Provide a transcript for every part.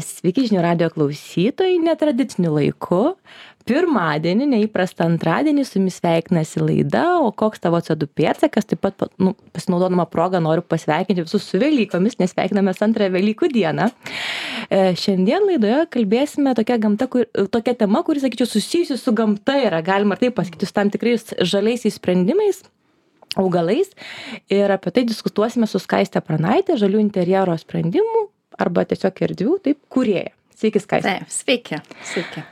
Sveiki žinių radio klausytojai netradiciniu laiku. Pirmadienį, neįprastą antradienį su jumis sveikinasi laida, o koks tavo CO2 pėdsakas. Taip pat pasinaudodama progą noriu pasveikinti visus su Velykomis, nes sveikinamės antrąją Velykų dieną. Šiandien laidoje kalbėsime tokia tema, kuri, sakyčiau, susijusi su gamta yra, galima ir taip pasakyti, su tam tikrais žaliaisiais sprendimais, augalais. Ir apie tai diskutuosime su Skaiste Pranaite, žalių interjero sprendimų arba tiesiog erdvių, taip, kūrėja. Sveiki, Skaiste. Taip, sveiki. Sveiki.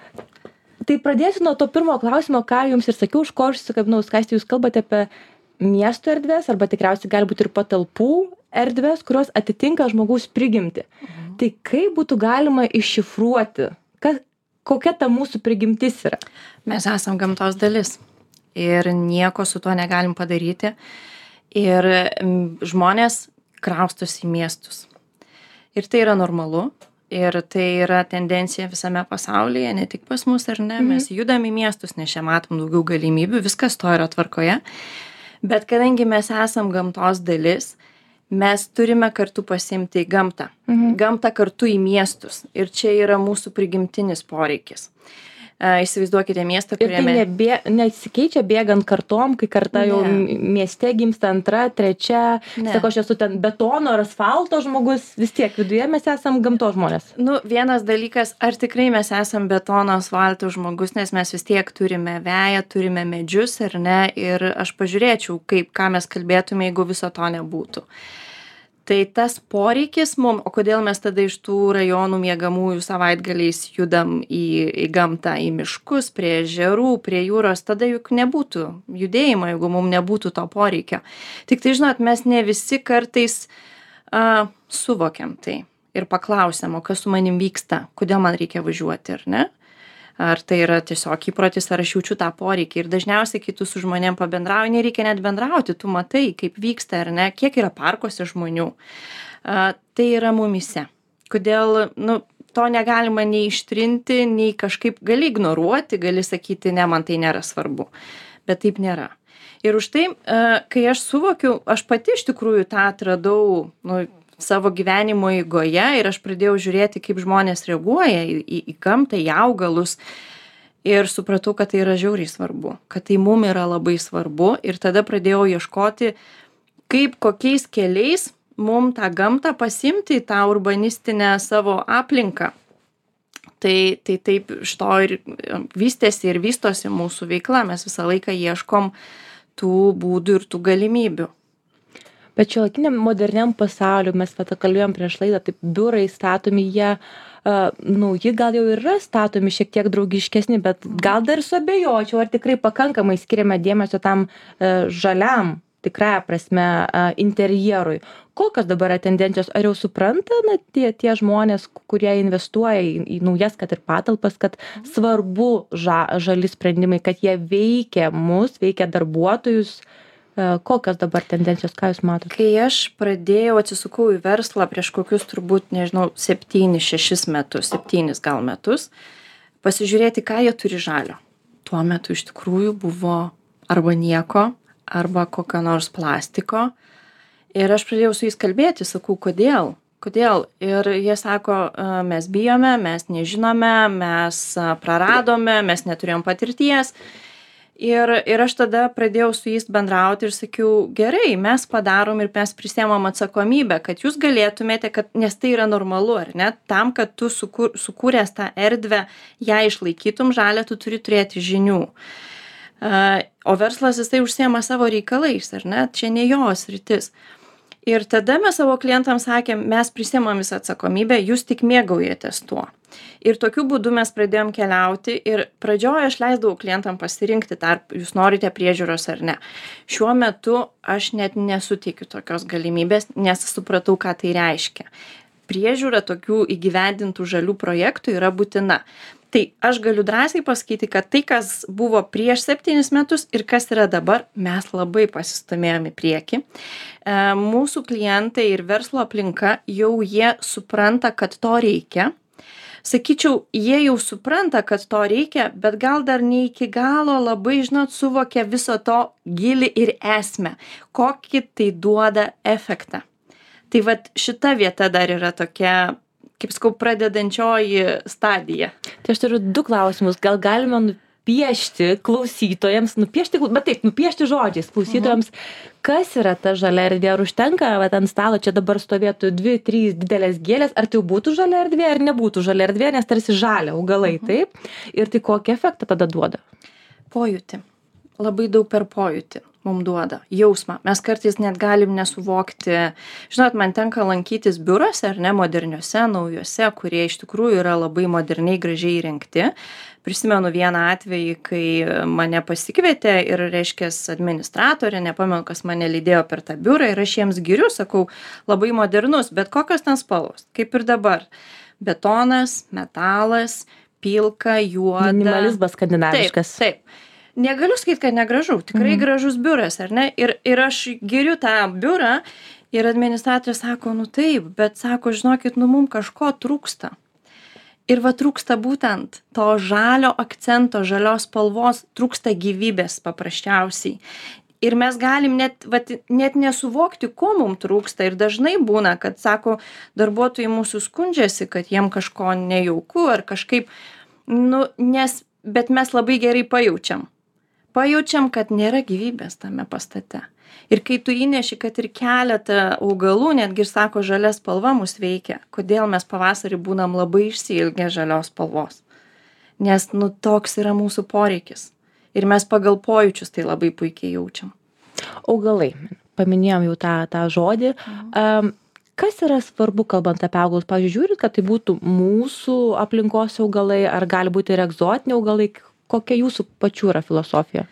Tai pradėsiu nuo to pirmo klausimo, ką jums ir sakiau, už ko aš susikabinau, Skaiste, jūs kalbate apie miesto erdvės, arba tikriausiai gali būti ir patalpų erdvės, kurios atitinka žmogaus prigimtį. Tai kaip būtų galima iššifruoti, kokia ta mūsų prigimtis yra? Mes esam gamtos dalis ir nieko su tuo negalim padaryti. Ir žmonės kraustosi į miestus. Ir tai yra normalu. Ir tai yra tendencija visame pasaulyje, ne tik pas mus, ar ne? Mes judam į miestus, nes čia matom daugiau galimybių, viskas to yra tvarkoje. Bet kadangi mes esam gamtos dalis, mes turime kartu pasiimti į gamtą. Gamtą kartu į miestus. Ir čia yra mūsų prigimtinis poreikis. Įsivaizduokite miestą, kuriame... Ir tai nesikeičia bėgant kartom, kai karta jau mieste gimsta antra, trečia, sako, aš esu ten betono ar asfalto žmogus, vis tiek viduje mes esam gamtos žmonės. Vienas dalykas, ar tikrai mes esam betono, asfalto žmogus, nes mes vis tiek turime veją, turime medžius, ar ne, ir aš pažiūrėčiau, ką mes kalbėtume, jeigu viso to nebūtų. Tai tas poreikis mum, o kodėl mes tada iš tų rajonų miegamųjų savaitgaliais judam į gamtą, į miškus, prie ežerų, prie jūros, tada juk nebūtų judėjimo, jeigu mum nebūtų to poreikio. Tik tai, žinot, mes ne visi kartais suvokiam tai ir paklausiam, o kas su manim vyksta, kodėl man reikia važiuoti, ar ne? Ar tai yra tiesiog įprotis, ar aš jaučiu tą poreikį. Ir dažniausiai, kai tu su žmonėm pabendrauji, nereikia net bendrauti, tu matai, kaip vyksta, ar ne, kiek yra parkuose žmonių. Tai yra mumyse. Kodėl, to negalima nei ištrinti, nei kažkaip gali ignoruoti, gali sakyti, ne, man tai nėra svarbu. Bet taip nėra. Ir už tai, kai aš suvokiu, aš pati iš tikrųjų tą atradau, savo gyvenimo eigoje ir aš pradėjau žiūrėti, kaip žmonės reaguoja į gamtą, į augalus ir supratau, kad tai yra žiauriai svarbu, kad tai mum yra labai svarbu ir tada pradėjau ieškoti, kaip kokiais keliais mum tą gamtą pasimti į tą urbanistinę savo aplinką. Tai taip iš to ir vystėsi ir vystosi mūsų veikla, mes visą laiką ieškom tų būdų ir tų galimybių. Bet šiuolaikiniam moderniam pasauliu, mes kalbėjom prieš laidą, taip biurai statomi, jie nauji gal jau yra statomi šiek tiek draugiškesni, bet gal dar suabejočiau, ar tikrai pakankamai skiriame dėmesio tam žaliam, tikrąja prasme, interjerui. Kokios dabar yra tendencijos? Ar jau supranta tie žmonės, kurie investuoja į naujas, kad ir patalpas, kad svarbu žali sprendimai, kad jie veikia mus, veikia darbuotojus? Kokios dabar tendencijos, ką jūs matote? Kai aš atsisukau į verslą prieš kokius turbūt, 7-6 metus, 7 gal metus, pasižiūrėti, ką jie turi žalio. Tuo metu iš tikrųjų buvo arba nieko, arba kokio nors plastiko. Ir aš pradėjau su jais kalbėti, sakau, kodėl? Ir jie sako, mes bijome, mes nežinome, mes praradome, mes neturėjom patirties. Ir aš tada pradėjau su jais bendrauti ir sakiau, gerai, mes padarom ir mes prisiemam atsakomybę, kad jūs galėtumėte, nes tai yra normalu, ar ne? Tam, kad tu sukūręs tą erdvę, ją išlaikytum žalę, tu turi turėti žinių. O verslas jisai užsiema savo reikalais, ar ne? Čia ne jos sritis. Ir tada mes savo klientams sakėm, mes prisiemam visą atsakomybę, jūs tik mėgaujatės tuo. Ir tokiu būdu mes pradėjom keliauti ir pradžioje aš leisdavau klientam pasirinkti, jūs norite priežiūros ar ne. Šiuo metu aš net nesuteikiu tokios galimybės, nes supratau, ką tai reiškia. Priežiūra tokių įgyvendintų žalių projektų yra būtina. Tai aš galiu drąsiai pasakyti, kad tai, kas buvo prieš 7 metus ir kas yra dabar, mes labai pasistumėjom į priekį. Mūsų klientai ir verslo aplinka jau jie supranta, kad to reikia. Sakyčiau, jie jau supranta, kad to reikia, bet gal dar ne iki galo labai, suvokia viso to gilį ir esmę, kokį tai duoda efektą. Tai vat šita vieta dar yra tokia kaip sakau, pradedančioji stadija. Tai aš turiu 2 klausimus. Gal galime nupiešti klausytojams, nupiešti žodžiais klausytojams, kas yra ta žalia erdvė, ar užtenka, va, ant stalo čia dabar stovėtų 2-3 didelės gėlės, ar tai jau būtų žalia erdvė, ar nebūtų žalia erdvė, nes tarsi žalia augalai, taip? Ir tai kokį efektą tada duoda? Pojūtį. Labai daug per pojūtį mums duoda, jausmą. Mes kartais net galim nesuvokti. Žinot, man tenka lankytis biuruose, ar ne, moderniuose, naujuose, kurie iš tikrųjų yra labai moderniai, gražiai įrengti. Prisimenu vieną atvejį, kai mane pasikvietė ir, reiškia, administratorė, nepamenu, kas mane lydėjo per tą biurą ir aš jiems giriu, sakau, labai modernus, bet kokios ten spalvos, kaip ir dabar. Betonas, metalas, pilka, juoda. Minimalizmas skandinaviškas. Taip, taip. Negaliu sakyti, kad negražu, tikrai gražus biuras, ar ne? Ir aš giriu tą biurą ir administratorė sako, nu taip, bet sako, žinokit, nu mums kažko trūksta. Ir va trūksta būtent to žalio akcento, žalios spalvos, trūksta gyvybės paprasčiausiai. Ir mes galim net nesuvokti, ko mums trūksta. Ir dažnai būna, kad, sako, darbuotojai mūsų skundžiasi, kad jiem kažko nejauku ar kažkaip, bet mes labai gerai pajaučiam. Pajaučiam, kad nėra gyvybės tame pastate. Ir kai tu įneši, kad ir keletą augalų, netgi ir sako, žalia spalva mus veikia, kodėl mes pavasarį būnam labai išsiilgę žalios spalvos. Nes, toks yra mūsų poreikis. Ir mes pagal pojūčius tai labai puikiai jaučiam. Augalai. Paminėjom jau tą žodį. Kas yra svarbu, kalbant apie augalus? Pavyzdžiui, žiūrit, kad tai būtų mūsų aplinkos augalai, ar gali būti ir egzotiniai augalai? Kokia jūsų pačių yra filosofija?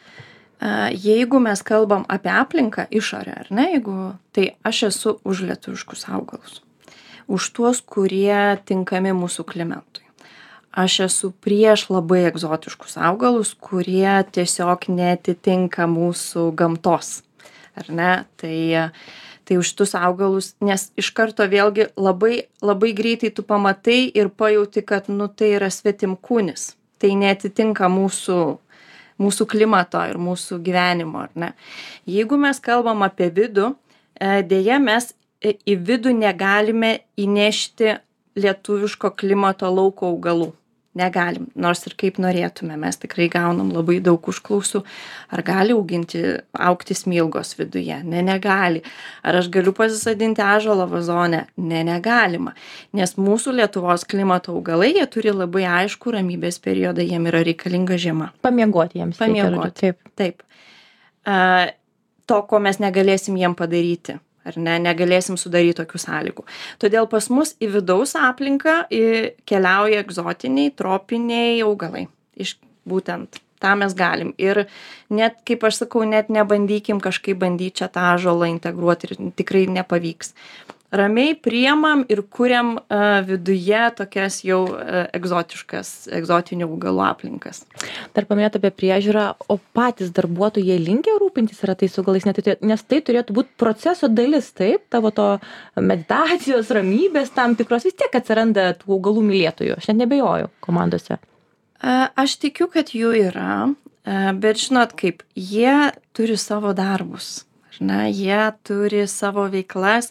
Jeigu mes kalbam apie aplinką, išorę, ar ne, tai aš esu už lietuviškus augalus. Už tuos, kurie tinkami mūsų klimatui. Aš esu prieš labai egzotiškus augalus, kurie tiesiog netitinka mūsų gamtos. Ar ne? Tai už tus augalus, nes iš karto vėlgi labai, labai greitai tu pamatai ir pajauti, kad tai yra svetimkūnis. Tai netitinka mūsų klimato ir mūsų gyvenimo, ar ne? Jeigu mes kalbam apie vidų, dėja mes į vidų negalime įnešti lietuviško klimato lauko augalų. Negalim, nors ir kaip norėtume, mes tikrai gaunam labai daug užklausų. Ar gali augti smilgos viduje? Ne, negali. Ar aš galiu pasisodinti ąžuolą vazone? Ne, negalima. Nes mūsų Lietuvos klimato augalai, jie turi labai aišku ramybės periodą, jiem yra reikalinga žiema. Pamiegoti jiems. Pamiegoti, taip. To, ko mes negalėsim jiem padaryti. Ar ne, negalėsim sudaryti tokių sąlygų. Todėl pas mus į vidaus aplinką keliauja egzotiniai, tropiniai augalai. Būtent tą mes galim. Ir net, kaip aš sakau, net nebandykim kažkaip bandyti čia tą ąžuolą integruoti ir tikrai nepavyks. Ramiai priemam ir kuriam viduje tokias jau egzotinių augalų aplinkas. Dar paminėt apie priežiūrą, o patys darbuotojai jie linkę rūpintis yra tais augalais, nes tai turėtų būti proceso dalis, taip, tavo to meditacijos, ramybės tam tikros, vis tiek atsiranda tų augalų mylėtojų, aš net nebejoju komandose. Aš tikiu, kad jų yra, bet žinot kaip, jie turi savo darbus. Jie turi savo veiklas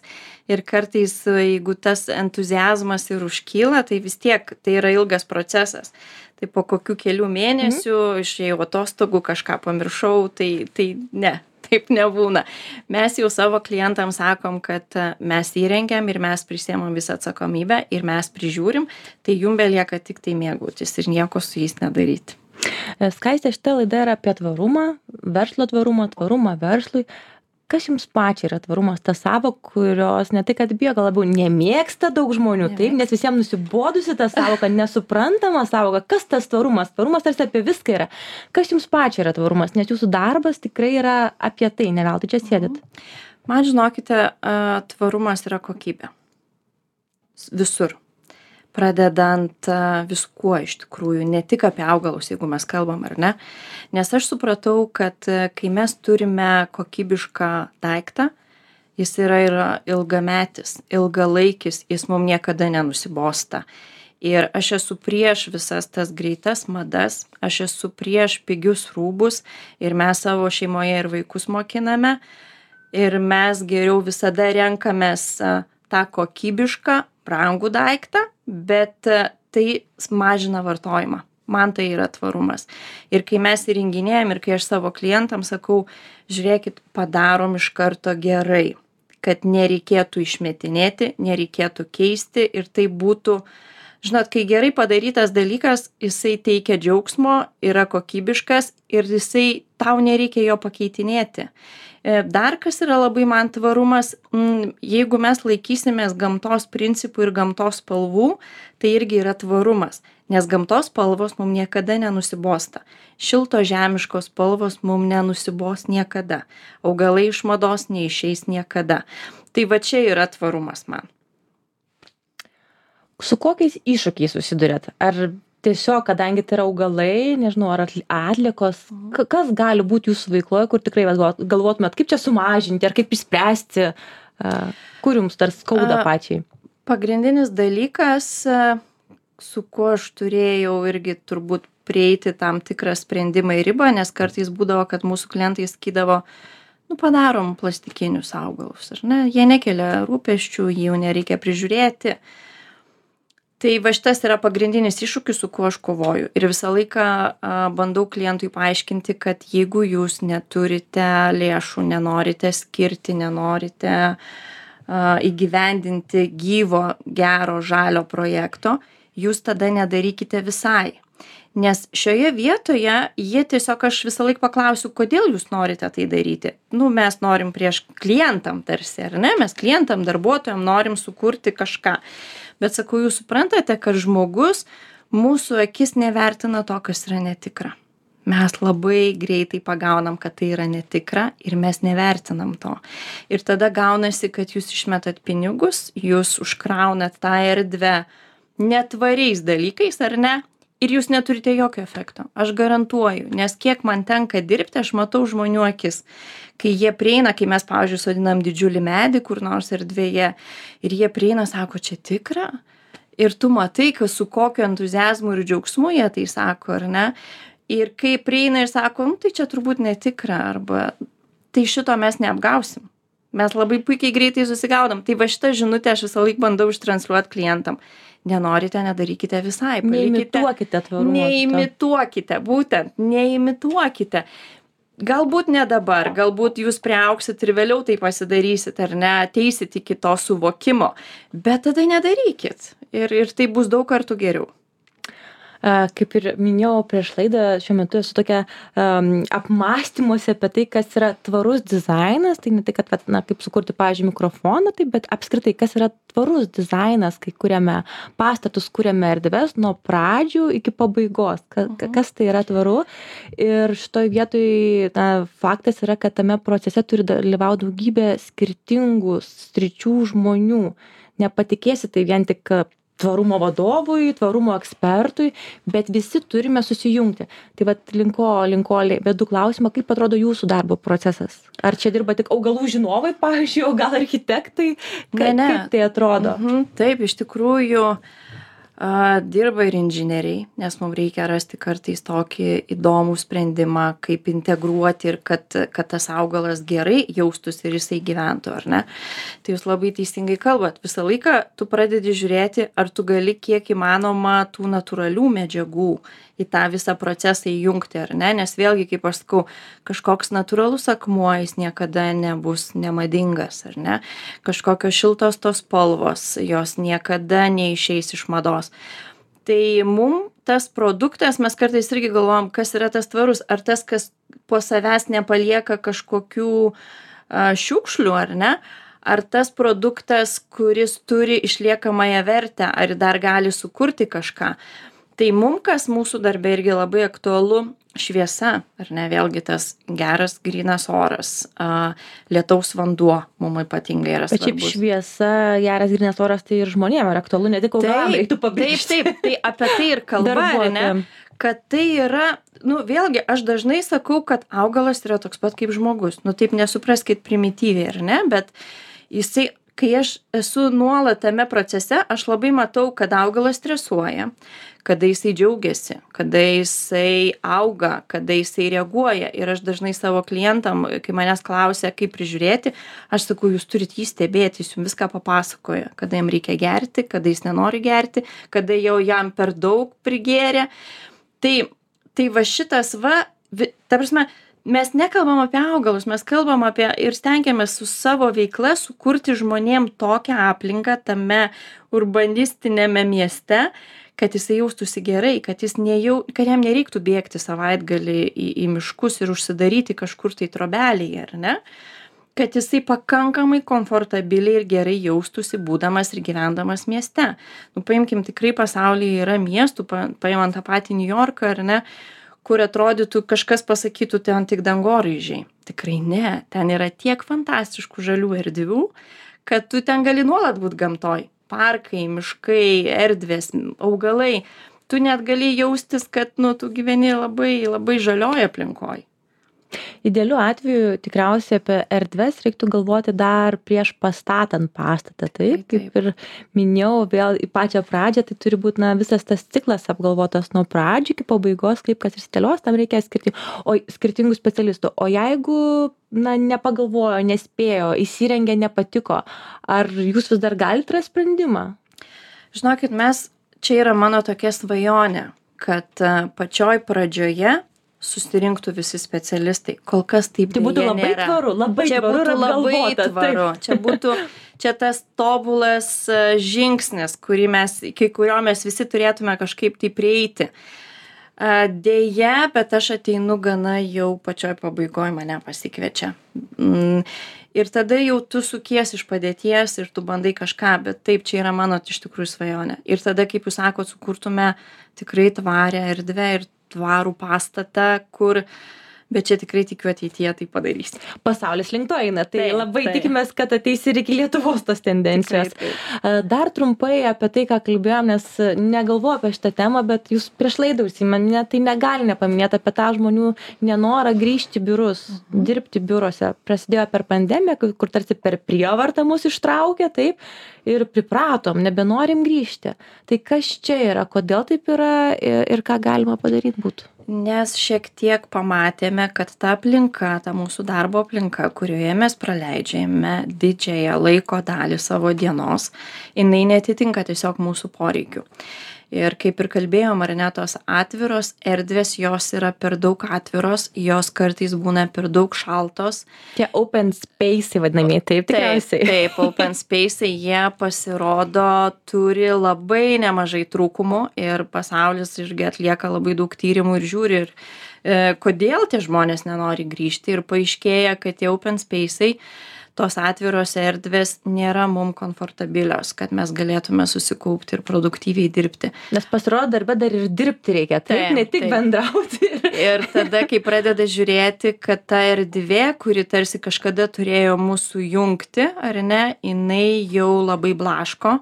ir kartais, jeigu tas entuziazmas ir užkyla, tai vis tiek tai yra ilgas procesas. Tai po kokių kelių mėnesių išėjau atostogų, kažką pamiršau, tai ne, taip nebūna. Mes jau savo klientams sakom, kad mes įrengiam ir mes prisiemam visą atsakomybę ir mes prižiūrim, tai jum belieka tik tai mėgautis ir nieko su jais nedaryti. Skaistė, šita laida yra apie tvarumą, verslo tvarumą verslui. Kas jums pačiai yra tvarumas, ta sąvoka, kurios ne tai, kad bijo, gal labiau nemėgsta daug žmonių, taip, nes visiems nusibodusi ta sąvoka, nesuprantama sąvoka, kas tas tvarumas? Tvarumas tarsi apie viską yra. Kas jums pačiai yra tvarumas, nes jūsų darbas tikrai yra apie tai, ne veltui čia sėdit. Man, žinokite, tvarumas yra kokybė. Visur. Pradedant viskuo iš tikrųjų, ne tik apie augalus, jeigu mes kalbam, ar ne. Nes aš supratau, kad kai mes turime kokybišką daiktą, jis yra ilgametis, ilgalaikis, jis mums niekada nenusibosta. Ir aš esu prieš visas tas greitas madas, aš esu prieš pigius rūbus ir mes savo šeimoje ir vaikus mokiname. Ir mes geriau visada renkamės tą kokybišką, brangų daiktą, bet tai mažina vartojimą. Man tai yra tvarumas. Ir kai mes įrenginėjam ir kai aš savo klientams sakau, žiūrėkit, padarom iš karto gerai, kad nereikėtų išmetinėti, nereikėtų keisti ir tai būtų, žinot, kai gerai padarytas dalykas, jisai teikia džiaugsmo, yra kokybiškas ir jisai tau nereikia jo pakeitinėti. Dar kas yra labai man tvarumas, jeigu mes laikysimės gamtos principų ir gamtos spalvų, tai irgi yra tvarumas, nes gamtos spalvos mums niekada nenusibosta. Šilto žemiškos spalvos mums nenusibos niekada. Augalai iš mados neišeis niekada. Tai va čia yra tvarumas man. Su kokiais iššūkiais susidurėt? Ar tiesiog, kadangi tai yra augalai, nežinau, ar atliekos, kas gali būti jūsų veikloje, kur tikrai galvotumėt, kaip čia sumažinti, ar kaip išspręsti, kur jums dar skauda pačiai? Pagrindinis dalykas, su kuo aš turėjau irgi turbūt prieiti tam tikrą sprendimą į ribą, nes kartais būdavo, kad mūsų klientai sakydavo, padarom plastikinius augalus, ar ne? Jie nekelia rūpesčių, jų nereikia prižiūrėti. Tai va šitas yra pagrindinis iššūkis, su kuo aš kovoju. Ir visą laiką bandau klientui paaiškinti, kad jeigu jūs neturite lėšų, nenorite skirti, nenorite įgyvendinti gyvo, gero, žalio projekto, jūs tada nedarykite visai. Nes šioje vietoje jie tiesiog, aš visą laiką paklausiu, kodėl jūs norite tai daryti. Mes norim prieš klientam tarsi, ar ne? Mes klientam, darbuotojam norim sukurti kažką. Bet sakau, jūs suprantate, kad žmogus mūsų akis nevertina to, kas yra netikra. Mes labai greitai pagaunam, kad tai yra netikra ir mes nevertinam to. Ir tada gaunasi, kad jūs išmetat pinigus, jūs užkraunat tą erdvę netvariais dalykais, ar ne? Ir jūs neturite jokio efekto. Aš garantuoju, nes kiek man tenka dirbti, aš matau žmonių akis. Kai jie prieina, kai mes, pavyzdžiui, sodinam didžiulį medį kur nors erdvėje ir jie prieina, sako, čia tikra. Ir tu matai, su kokiu entuziazmu ir džiaugsmu jie tai sako, ar ne? Ir kai prieina ir sako, tai čia turbūt netikra, arba tai šito mes neapgausim. Mes labai puikiai greitai susigaudom. Tai va šitą žinutę aš visą laiką bandau ištransliuoti klientam. Nenorite, nedarykite visai. Neimituokite tvarumo. Neimituokite, būtent, neimituokite. Galbūt ne dabar, galbūt jūs priaugsit ir vėliau tai pasidarysit, ar ne, ateisit iki to suvokimo, bet tada nedarykit ir tai bus daug kartų geriau. Kaip ir minėjau prieš laidą, šiuo metu esu tokia apmąstymuose apie tai, kas yra tvarus dizainas, tai ne tai, kad, kaip sukurti, pavyzdžiui, mikrofoną, tai, bet apskritai, kas yra tvarus dizainas, kai kuriame pastatus, kuriame erdves nuo pradžių iki pabaigos, kas tai yra tvaru. Ir šitoj vietoj faktas yra, kad tame procese turi dalyvauti daugybė skirtingų sričių žmonių. Nepatikėsi, tai vien tik tvarumo vadovui, tvarumo ekspertui, bet visi turime susijungti. Tai vat linko vedu klausimą, kaip atrodo jūsų darbo procesas? Ar čia dirba tik augalų žinovai, pavyzdžiui, o gal architektai? Kaip tai atrodo? Taip, iš tikrųjų dirba ir inžinieriai, nes mums reikia rasti kartais tokį įdomų sprendimą, kaip integruoti ir kad tas augalas gerai jaustųsi ir jisai gyventų, ar ne? Tai jūs labai teisingai kalbat. Visą laiką tu pradedi žiūrėti, ar tu gali kiek įmanoma tų natūralių medžiagų į tą visą procesą įjungti, ar ne? Nes vėlgi, kaip aš sakau, kažkoks natūralus akmuo, jis niekada nebus nemadingas, ar ne? Kažkokios šiltos tos spalvos, jos niekada neišeis iš mados. Tai mum tas produktas, mes kartais irgi galvojam, kas yra tas tvarus, ar tas, kas po savęs nepalieka kažkokių šiukšlių, ar ne? Ar tas produktas, kuris turi išliekamąją vertę, ar dar gali sukurti kažką. Tai mum, kas mūsų darbe irgi labai aktualu, šviesa, ar ne, vėlgi tas geras grynas oras, lietaus vanduo mum ypatingai yra svarbus. Bet šiaip šviesa, geras grynas oras, tai ir žmonėm yra aktualu, ne tik augalam reiktų pabrėžti. Taip, tai apie tai ir kalba, ar ne? Kad tai yra, vėlgi, aš dažnai sakau, kad augalas yra toks pat kaip žmogus. Taip nesupraskit primityviai, ar ne, bet jisai kai aš esu nuolat tame procese, aš labai matau, kad augalas stresuoja, kada jisai džiaugiasi, kada jisai auga, kada jisai reaguoja. Ir aš dažnai savo klientam, kai manęs klausia, kaip prižiūrėti, aš sakau, jūs turit jį stebėti, jis jums viską papasakoja, kada jam reikia gerti, kada jis nenori gerti, kada jau jam per daug prigėrė. Tai va šitas ta prasme, mes nekalbam apie augalus, mes kalbam apie ir stengiamės su savo veikla sukurti žmonėm tokią aplinką tame urbanistinėme mieste, kad jisai jaustųsi gerai, kad jam nereiktų bėgti savaitgalį į miškus ir užsidaryti kažkur tai trobelėje, ar ne? Kad jisai pakankamai komfortabiliai ir gerai jaustųsi būdamas ir gyvendamas mieste. Paimkim, tikrai pasaulyje yra miestų, paimant tą patį New Yorką, ar ne, kur atrodytų kažkas pasakytų, ten tik dangoraižiai. Tikrai ne, ten yra tiek fantastiškų žalių erdvių, kad tu ten gali nuolat būt gamtoj. Parkai, miškai, erdvės, augalai. Tu net gali jaustis, kad tu gyveni labai, labai žalioj aplinkoj. Idealiu atveju tikriausiai apie erdves reiktų galvoti dar prieš pastatant pastatą, taip? Kaip ir minėjau, vėl į pačią pradžią, tai turi būti visas tas ciklas apgalvotas nuo pradžių iki pabaigos, kaip kas išsidėlios, tam reikia skirtingų specialistų. O jeigu nepagalvojo, nespėjo, įsirengė, nepatiko, ar jūs vis dar galite rasti sprendimą? Žinokit, čia yra mano tokia svajonė, kad pačioj pradžioje susirinktų visi specialistai. Kol kas taip tai būtų labai nėra. Tvaru, labai čia tvaru būtų labai tvaru. Čia tas tobulas žingsnis, iki kurio mes visi turėtume kažkaip tai prieiti. Deja, bet aš ateinu gana jau pačioj pabaigoj, mane pasikviečia. Ir tada jau tu sukies iš padėties ir tu bandai kažką, bet taip, čia yra mano iš tikrųjų svajonė. Ir tada, kaip jūs sakot, sukurtume tikrai tvarę erdvę ir tvarų pastatą, bet čia tikrai tikiu ateityje tai padarys. Pasaulis link to eina, tai labai tikimės, kad ateis ir iki Lietuvos tos tendencijos. Dar trumpai apie tai, ką kalbėjom, nes negalvoju apie šitą temą, bet jūs prieš laidą užsiminėte, tai negali nepaminėti apie tą žmonių nenorą grįžti į biurus, dirbti biuruose. Prasidėjo per pandemiją, kur tarsi per prievartą mus ištraukė, taip, ir pripratom, nebenorim grįžti. Tai kas čia yra, kodėl taip yra ir ką galima padaryti būtų? Nes šiek tiek pamatėme, kad ta aplinka, ta mūsų darbo aplinka, kurioje mes praleidžiame didžiąją laiko dalį savo dienos, jinai netitinka tiesiog mūsų poreikių. Ir kaip ir kalbėjom, ar ne, tos atviros erdvės, jos yra per daug atviros, jos kartais būna per daug šaltos. Tie open space'ai vadinami, taip tikriausiai. Taip, open space'ai, jie pasirodo, turi labai nemažai trūkumų ir pasaulis irgi atlieka labai daug tyrimų ir žiūri, kodėl tie žmonės nenori grįžti ir paaiškėja, kad tie open space'ai, tos atviros erdvės nėra mum komfortabilios, kad mes galėtume susikaupti ir produktyviai dirbti. Nes pasirodo, darbe dar ir dirbti reikia, taip, ne tik bendrauti. Ir tada, kai pradeda žiūrėti, kad ta erdvė, kuri tarsi kažkada turėjo mūsų jungti, ar ne, jinai jau labai blaško,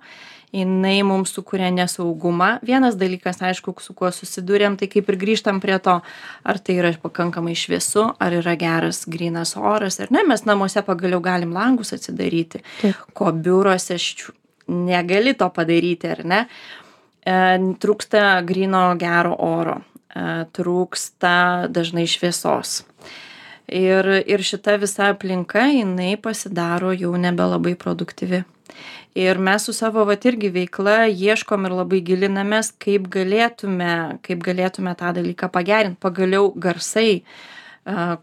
jinai mums sukuria nesaugumą. Vienas dalykas, aišku, su kuo susidūrėm, tai kaip ir grįžtam prie to, ar tai yra pakankamai šviesu, ar yra geras grynas oras, ar ne, mes namuose pagaliau galim langus atsidaryti, ko biuruose negali to padaryti, ar ne. Trūksta gryno gero oro, trūksta dažnai šviesos. Ir šita visa aplinka, jinai pasidaro jau nebelabai produktyvi. Ir mes su savo irgi veikla ieškom ir labai gilinamės, kaip galėtume tą dalyką pagerinti. Pagaliau garsai,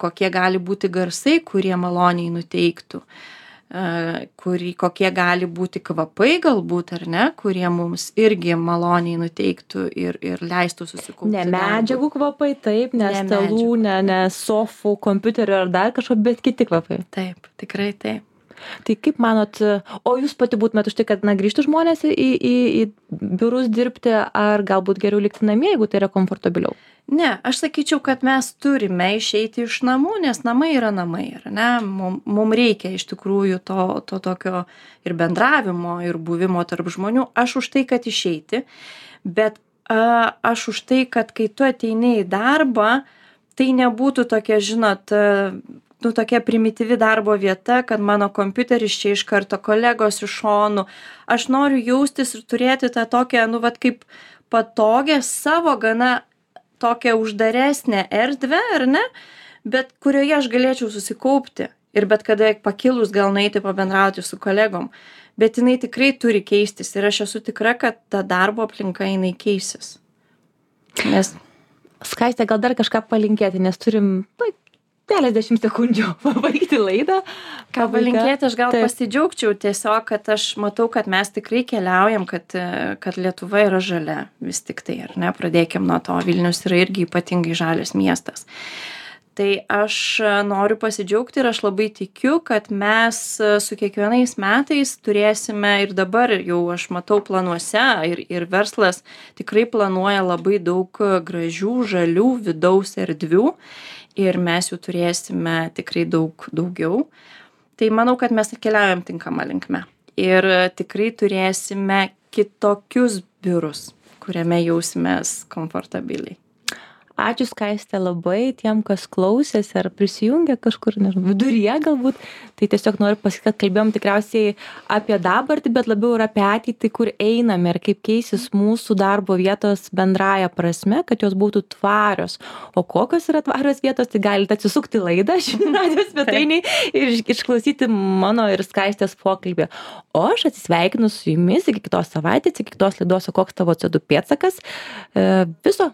kokie gali būti garsai, kurie maloniai nuteiktų, kokie gali būti kvapai galbūt, ar ne, kurie mums irgi maloniai nuteiktų ir leistų susikaupti. Ne medžiagų kvapai, taip, ne stalų, ne sofų, kompiuterio ar dar kažko, bet kiti kvapai. Taip, tikrai taip. Tai kaip manot, o jūs pati būtumėt už tai, kad grįžtų žmonės į biurus dirbti, ar galbūt geriau likti namie, jeigu tai yra komfortabiliau? Ne, aš sakyčiau, kad mes turime išeiti iš namų, nes namai yra namai, ar ne? Mums reikia iš tikrųjų to tokio ir bendravimo, ir buvimo tarp žmonių. Aš už tai, kad išeiti, bet aš už tai, kad kai tu ateini į darbą, tai nebūtų tokia, žinot, nu, tokia primityvi darbo vieta, kad mano kompiuteris čia iš karto kolegos iš šonų. Aš noriu jaustis ir turėti tą tokią, nu, vat kaip patogią savo gana tokią uždaresnę erdvę, ar ne, bet kurioje aš galėčiau susikaupti ir bet kada pakilus gal nueiti pabendrauti su kolegom. Bet jinai tikrai turi keistis ir aš esu tikra, kad ta darbo aplinka jinai keisis. Nes... Skaiste, gal dar kažką palinkėti, nes turim keliasdešimt sekundžių pabaigti laidą. Ką palinkėti, aš gal pasidžiaugčiau tiesiog, kad aš matau, kad mes tikrai keliaujam, kad Lietuva yra žalia vis tik tai, ar ne, pradėkim nuo to, Vilnius yra irgi ypatingai žalias miestas. Tai aš noriu pasidžiaugti ir aš labai tikiu, kad mes su kiekvienais metais turėsime ir dabar jau aš matau planuose ir verslas tikrai planuoja labai daug gražių, žalių vidaus erdvių ir mes jų turėsime tikrai daugiau. Tai manau, kad mes keliaujam tinkamą linkme ir tikrai turėsime kitokius biurus, kuriame jausimės komfortabiliai. Ačiū Skaiste labai tiem, kas klausėsi ar prisijungė kažkur, nežinau, viduryje galbūt. Tai tiesiog noriu pasakyti, kad kalbėjom tikriausiai apie dabartį, bet labiau ir apie ateitį, kur einame ir kaip keisis mūsų darbo vietos bendraja prasme, kad jos būtų tvarios. O kokios yra tvarios vietos, tai galite atsisukti laidą žinių radijo svetainėj ir išklausyti mano ir Skaistės pokalbį. O aš atsisveikinu su jumis iki kitos savaitės, iki kitos laidos, o koks tavo CO2 pėdsakas. Viso